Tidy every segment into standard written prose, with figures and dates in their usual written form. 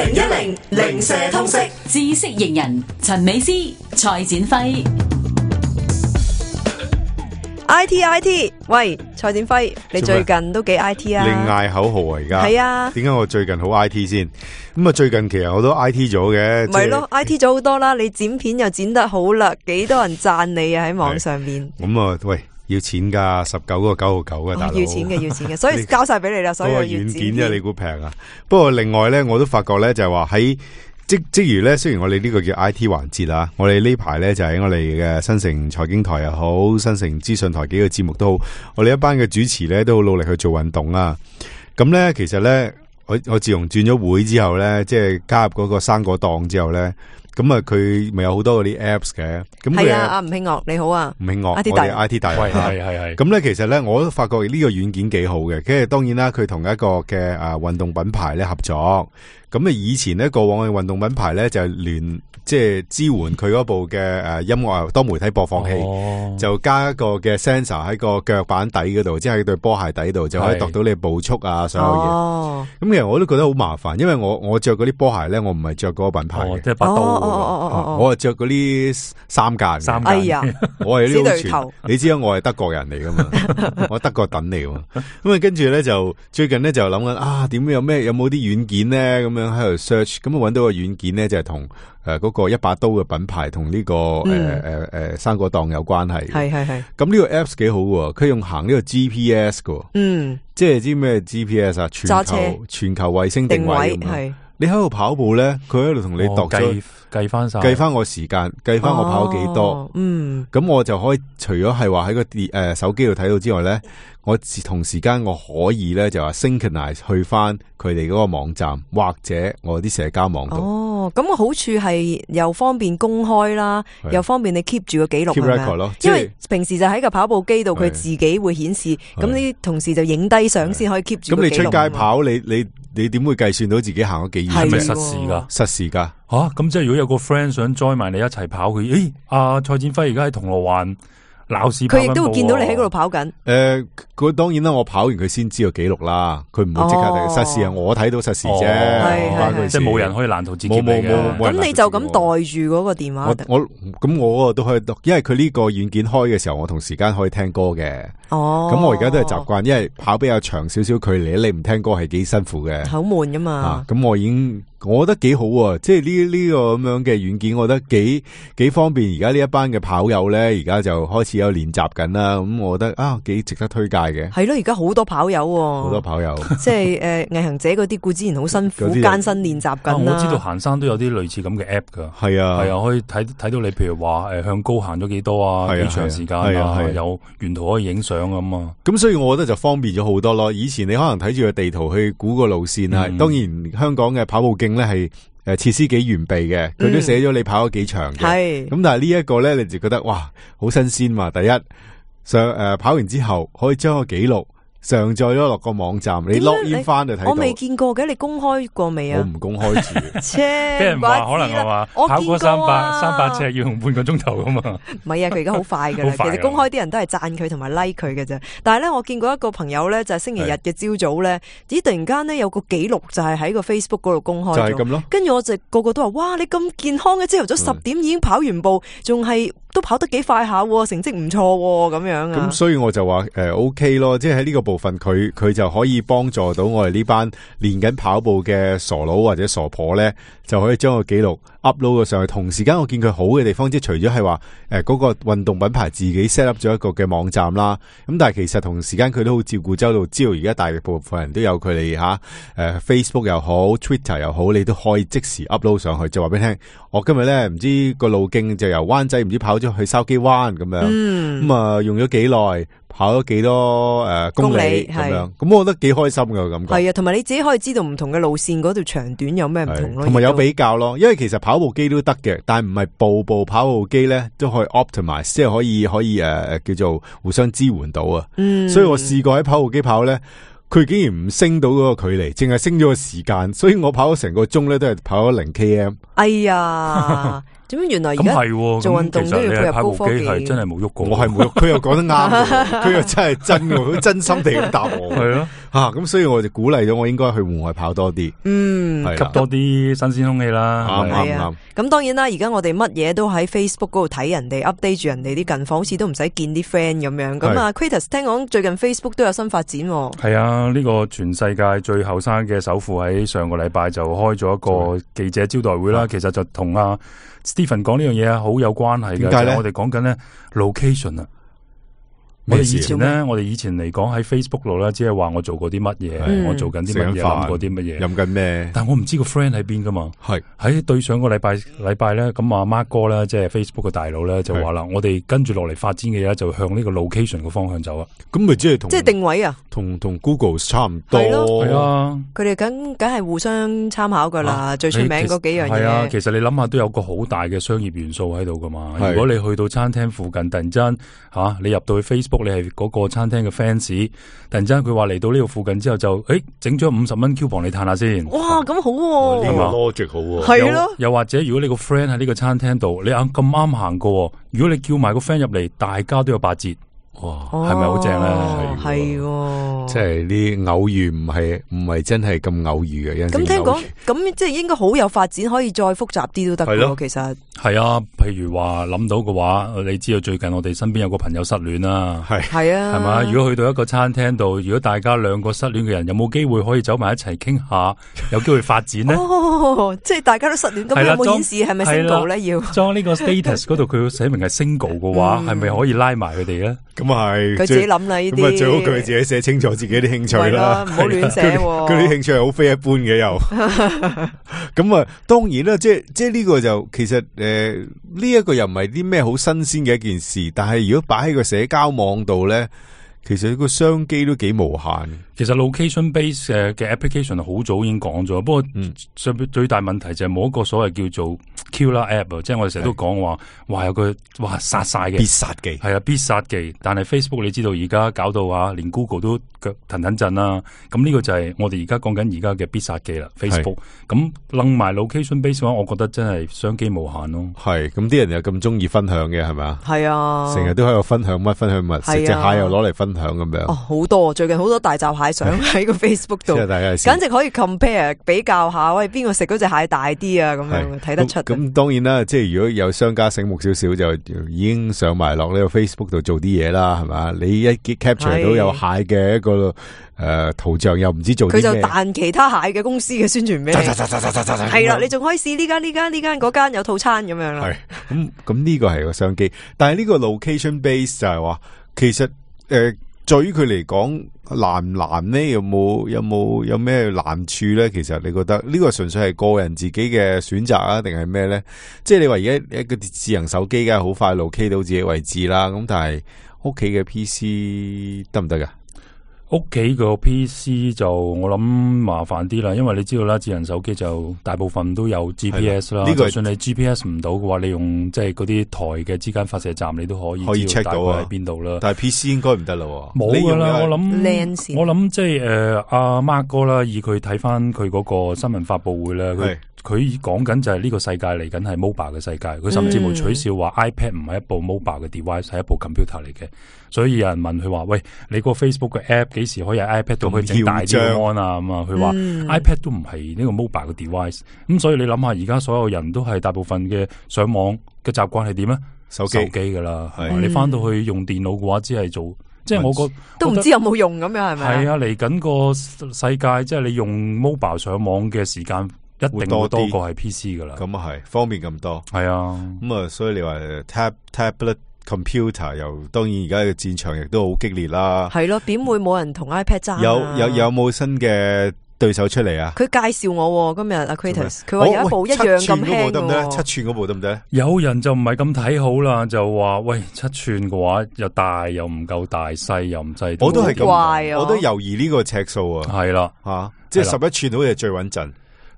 2010零舍通識知識型人陳美詩、蔡展輝。IT， 喂，蔡展輝，你最近都幾 IT 啊？你嗌口號啊而家？係啊。點解我最近好 IT 先？咁啊，最近其實我都 IT 咗嘅。咪咯，IT 咗好多啦，你剪片又剪得好啦，幾多人讚你啊喺網上面。咁啊，喂，要錢噶，19個9.9嘅大佬。要錢嘅，所以交晒俾你啦，所以要軟件啫，你估平啊？不過另外咧，我都發覺咧，就係話喺即如咧，雖然我哋呢個叫 IT 環節啦，我哋呢排咧就喺我哋嘅新城財經台又好，新城資訊台幾個節目都好，我哋一班嘅主持咧都好努力去做運動啊。咁咧，其實咧，我自從轉咗會之後咧，即係加入嗰個生果檔之後咧，咁啊，佢咪有好多嗰啲 apps 嘅。咁係啊，阿吳慶岳你好啊，吳慶岳，我 IT 大人，係。咁咧，其實咧，我都發覺呢個軟件幾好嘅。跟住當然啦，佢同一個嘅運動品牌咧合作。咁啊，以前咧過往嘅運動品牌咧就係即係支援佢嗰部嘅音樂多媒體播放器，就加一個嘅 sensor 喺個腳板底嗰度，即係喺對波鞋底度就可以度到你步速啊，所有嘢。咁其實我都覺得好麻煩，因為我着嗰啲波鞋咧，我唔係着嗰個品牌嘅，即係百度。我係着嗰啲三間。哎呀，我係呢對頭。你知我係德國人嚟噶嘛？我德國躉嚟㗎嘛。咁啊，跟住咧就最近咧就諗緊點有冇啲軟件咧咁樣喺度 search， 咁啊揾到個軟件咧就係同嗰個一把刀嘅品牌同呢個生果檔有關係。係。咁呢個 apps 幾好喎，佢用行呢個 GPS 㗎。即係知咩 GPS 啊？全球衛星定位。係。你喺度跑步咧，佢喺度同你度咗計翻我時間，計翻我跑咗幾多。咁我就可以除咗係話喺個手機度睇到之外咧，我同時間我可以咧就話 synchronize 去翻佢哋嗰個網站或者我啲社交網度。咁個好處係又方便公開啦，又方便你 keep 住個記錄。keep record 咯，因為平時就喺個跑步機度，佢自己會顯示，咁啲同事就影低相先可以 keep 住個記錄。咁你出街跑，你點會計算到自己行咗幾遠？係咪實時噶？實時噶。咁即係如果有個 friend 想 join 埋你一齊跑，佢蔡展輝而家喺銅鑼灣鬧市跑緊步，佢亦都會見到你喺嗰度跑緊。佢當然啦，我跑完佢先知道記錄啦，佢唔會即刻睇實時啊，我睇到實時啫，即係冇人可以攔途截劫你嘅。咁你就咁袋住嗰個電話。我都可以，因為佢呢個軟件開嘅時候，我同時間可以聽歌嘅。咁我而家都係習慣，因為跑比較長少少距離，你唔聽歌係幾辛苦嘅，好悶噶嘛。咁我覺得幾好啊，即係呢個咁樣嘅軟件，我覺得幾方便。而家呢一班嘅跑友咧，而家就開始有練習緊啦。咁我覺得幾值得推介嘅。係咯，而家好多跑友，好多跑友，即係毅行者嗰啲，固之然好辛苦，艱辛練習緊啦。我知道行山都有啲類似咁嘅 app 噶。係啊，可以睇到你，譬如話向高行咗幾多啊，幾長時間啊，有沿途可以影相咁啊。咁所以我覺得就方便咗好多咯。以前你可能睇住個地圖去估個路線啊。當然香港嘅跑步徑咧係設施幾完備嘅，佢都寫咗你跑咗幾長嘅。咁但係呢一個咧，你就覺得哇，好新鮮嘛。第一跑完之後可以將個記錄上載咗落個網站，你 login 翻就睇到。我未見過嘅，你公開過未啊？我唔公開住。俾人話可能係話跑過300尺要用半個鐘頭噶嘛？唔係啊，佢而家好快噶啦。其實公開啲人都係讚佢同埋 like 佢嘅啫。但係咧，我見過一個朋友咧，就係星期日嘅朝早咧，突然間咧有個記錄就係喺個 Facebook 嗰度公開咗。就係咁咯。跟住我就個個都話：哇，你咁健康嘅，朝頭早10點已經跑完步，仲係都跑得幾快下，成績唔錯咁樣啊。咁所以我就話OK 咯，即係喺呢個部分佢就可以幫助到我哋呢班練緊跑步嘅傻佬或者傻婆咧，就可以將個記錄 upload 咗上去。同時間我見佢好嘅地方，即係除咗係話嗰個運動品牌自己 set up 咗一個嘅網站啦，咁但係其實同時間佢都好照顧周到，知道而家大部分人都有佢哋Facebook 又好 Twitter 又好，你都可以即時 upload 上去，就話俾你聽，我今日咧唔知個路徑就由灣仔唔知跑咗去筲箕灣咁樣，咁用咗幾耐，跑咗幾多公里咁樣，咁我覺得幾開心嘅感覺。係啊，同埋你自己可以知道唔同嘅路線嗰條長短有咩唔同咯，同埋有比較咯。因為其實跑步機都得嘅，但係唔係部跑步機咧都可以 optimize， 即係可以叫做互相支援到啊。所以我試過喺跑步機跑咧，佢竟然唔升到嗰個距離，淨係升咗個時間，所以我跑咗成個鐘咧都係跑咗0 km。哎呀！點解原來而家做運動都要配合高科技？係真係冇喐過，我係冇喐，佢又講得啱，佢又真係真嘅，佢真心地咁答我。係咯，咁所以我就鼓勵咗我應該去戶外跑多啲，吸多啲新鮮空氣啦。啱。咁當然啦，而家我哋乜嘢都喺 Facebook 嗰度睇人哋 update 住人哋啲近況，好似都唔使見啲 friend 咁樣。咁啊 ，Kratos 聽講最近 Facebook 都有新發展。係啊，呢個全世界最後生嘅首富喺上個禮拜就開咗一個記者招待會啦。其實就同Stephen 講呢樣嘢啊，好有關係嘅。點解咧？我哋講緊咧 location 啊。我哋以前嚟講喺 Facebook 度咧，只係話我做過啲乜嘢，我做緊啲乜嘢，諗過啲乜嘢，飲緊咩？但我唔知個 friend 喺邊噶嘛。係喺對上個禮拜咧，咁阿 Mark 哥咧，即係 Facebook 嘅大佬咧，就話啦，我哋跟住落嚟發展嘅嘢就向呢個 location 嘅方向走啊。咁咪即係定位啊？同 Google 差唔多。係啊，佢哋梗係互相參考噶啦，最出名嗰幾樣嘢。係啊，其實你諗下都有個好大嘅商業元素喺度噶嘛。如果你去到餐廳附近，突然間你入到去 Facebook，你係嗰個餐廳嘅 fans， 突然間佢話嚟到呢度附近之後就整咗50蚊 coupon 你嘆下先。哇，咁好喎，呢個 logic 好喎。係咯。又或者如果你個 friend 喺呢個餐廳度，你咁啱行過，如果你叫埋個 friend 入嚟，大家都有8折。哇，係咪好正咧？係，即係啲偶遇唔係真係咁偶遇嘅。咁聽講，咁即係應該好有發展，可以再複雜啲都得嘅。其實係啊，譬如話諗到嘅話，你知道最近我哋身邊有個朋友失戀啦，係啊，係嘛？如果去到一個餐廳度，如果大家兩個失戀嘅人有冇機會可以走埋一齊傾下，有機會發展呢？即係大家都失戀，咁有冇顯示係咪 single 咧？要裝呢個 status 嗰度，佢寫明係 single 嘅話，係咪可以拉埋佢哋咧？咁係佢自己諗啦，呢啲咁最好佢自己寫清楚自己啲興趣啦，唔好亂寫。佢啲興趣係好非一般嘅又。咁啊，當然啦，即係呢個就其實呢一個又唔係啲咩好新鮮嘅一件事，但係如果擺喺個社交網度咧，其實個商機都幾無限。其實 location base 嘅 application 好早已經講咗，不過最大問題就係冇一個所謂叫做 killer app， 即係我哋成日都講話有個殺晒嘅必殺技，係啊，必殺技。但係 Facebook 你知道而家搞到連 Google 都腳騰震啦。咁呢個就係我哋而家講緊而家嘅必殺技啦。Facebook 咁楞埋 location base 嘅話，我覺得真係商機無限咯。係咁啲人又咁中意分享嘅係咪啊？係啊，成日都喺度分享乜分享物，食隻蟹又攞嚟分享咁樣。好多最近好多大閘蟹相喺個 Facebook 度，簡直可以 compare 比較下，喂邊個食嗰隻蟹大啲啊？咁樣睇得出。咁當然啦，即係如果有商家醒目少少，就已經上埋落呢個 Facebook 度做啲嘢啦，係嘛？你一 capture 到有蟹嘅一個圖像，又唔知做啲咩，佢就彈其他蟹嘅公司嘅宣傳俾你。係啦，你仲可以試呢間嗰間有套餐咁樣啦。係咁呢個係個商機，但係呢個 location base 就係話，其實對於佢嚟講難唔難呢？有咩難處咧？其實你覺得呢個純粹係個人自己嘅選擇啊，定係咩咧？即係你話而家一個智能手機梗係好快 locate 到自己位置啦，咁但係屋企嘅 PC 得唔得噶？屋企個 PC 就我諗麻煩啲啦，因為你知道啦，智能手機就大部分都有 GPS 啦。就算你 GPS 唔到嘅話，你用即係嗰啲台嘅之間發射站，你都可以 check 到喺邊度啦。但係 PC 應該唔得啦，冇噶啦。我諗即係阿 Mark 哥啦，以佢睇翻佢嗰個新聞發佈會咧，佢講緊就係呢個世界嚟緊係 mobile 嘅世界。佢甚至冇取笑話 iPad 唔係一部 mobile 嘅 device， 係一部 computer 嚟嘅。所以有人問佢話：喂，你個 Facebook 嘅 app 幾時可以喺 iPad 度可以整大啲嘅 mon 啊？咁啊，佢話 iPad 都唔係呢個 mobile 嘅 device。咁所以你諗下，而家所有人都係大部分嘅上網嘅習慣係點咧？手機噶啦，你翻到去用電腦嘅話，只係做，即係我覺得都唔知有冇用咁樣，係咪？係啊，嚟緊個世界，即係你用 mobile 上網嘅時間一定會多過係 PC 噶啦。咁啊係方便咁多，係啊。咁啊，所以你話 tablet computer 又當然而家嘅戰場亦都好激烈啦。係咯，點會冇人同 iPad 爭啊？有冇新嘅對手出嚟啊？佢介紹我今日阿 Kratos，佢話有一部一樣咁輕嘅，7寸嗰部得唔得？有人就唔係咁睇好啦，就話喂7寸嘅話又大又唔夠大，細又唔細。我都係咁，我都猶豫呢個尺數啊。係啦，即係11寸好似係最穩陣。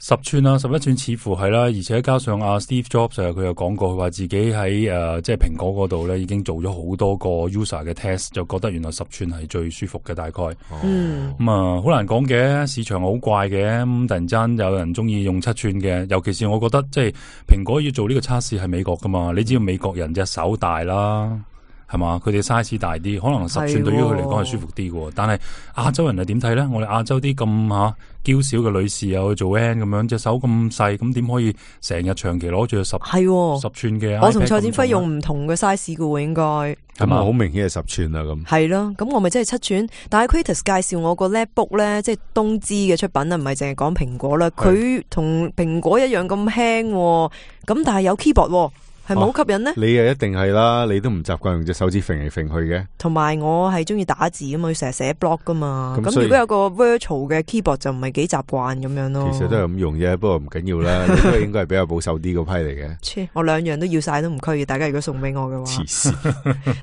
10寸啊，11寸似乎係啦，而且加上阿 Steve Jobs 佢又講過，佢話自己喺即係蘋果嗰度咧已經做咗好多個 user 嘅 test， 就覺得原來10寸係最舒服嘅大概。咁啊好難講嘅，市場好怪嘅，咁突然間有人中意用7寸嘅，尤其是我覺得即係蘋果要做呢個測試係美國噶嘛，你知道美國人隻手大啦。係嘛？佢哋 size 大啲，可能10寸對於佢嚟講係舒服啲嘅。但係亞洲人係點睇咧？我哋亞洲啲咁嬌小嘅女士又去做 N 咁樣，隻手咁細，咁點可以成日長期攞住個10寸嘅？我同蔡展輝用唔同嘅 size 嘅喎，應該係嘛？好明顯係10寸啦咁。係咯，咁我咪真係7寸。但係 Kratos 介紹我個 MacBook 咧，即係東芝嘅出品啊，唔係淨係講蘋果啦。佢同蘋果一樣咁輕，咁但係有 keyboard。係咪好吸引呢？你啊一定係啦，你都唔習慣用隻手指揈嚟揈去嘅。同埋我係中意打字啊嘛，要成日寫 blog 噶嘛。咁如果有個 virtual 嘅 keyboard 就唔係幾習慣咁樣咯。其實都係咁用啫，不過唔緊要啦。你都應該係比較保守啲個批嚟嘅。我兩樣都要晒都唔拘，大家如果送俾我嘅話。黐線。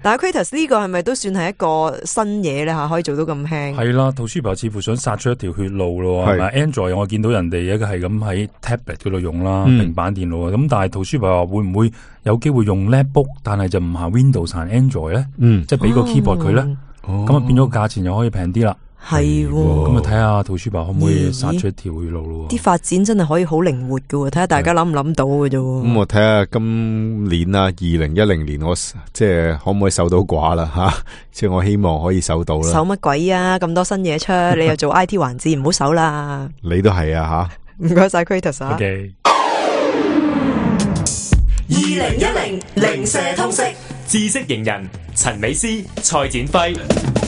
但係 Kratos 呢個係咪都算係一個新嘢咧吓？可以做到咁輕？係啦，Toshiba 似乎想殺出一條血路咯。係咪 Android 我見到人哋一個係咁喺 tablet 嗰度用啦，平板電腦啊。咁但係 Toshiba 話會唔會有機會用MacBook，但係就唔行 Windows 行 Android 咧，即係俾個 keyboard 佢咧，咁啊變咗價錢又可以平啲啦。係，咁啊睇下 Toshiba 可唔可以殺出一條血路咯？啲發展真係可以好靈活噶，睇下大家諗唔諗到嘅啫。咁我睇下今年啊，2010年我即係可唔可以守到寡啦吓？即係我希望可以守到啦。守乜鬼啊？咁多新嘢出，你又做 IT 環節，唔好守啦。你都係啊吓？唔該晒 Kratos 啊。2010零舍通識知識型人陳美詩、蔡展輝。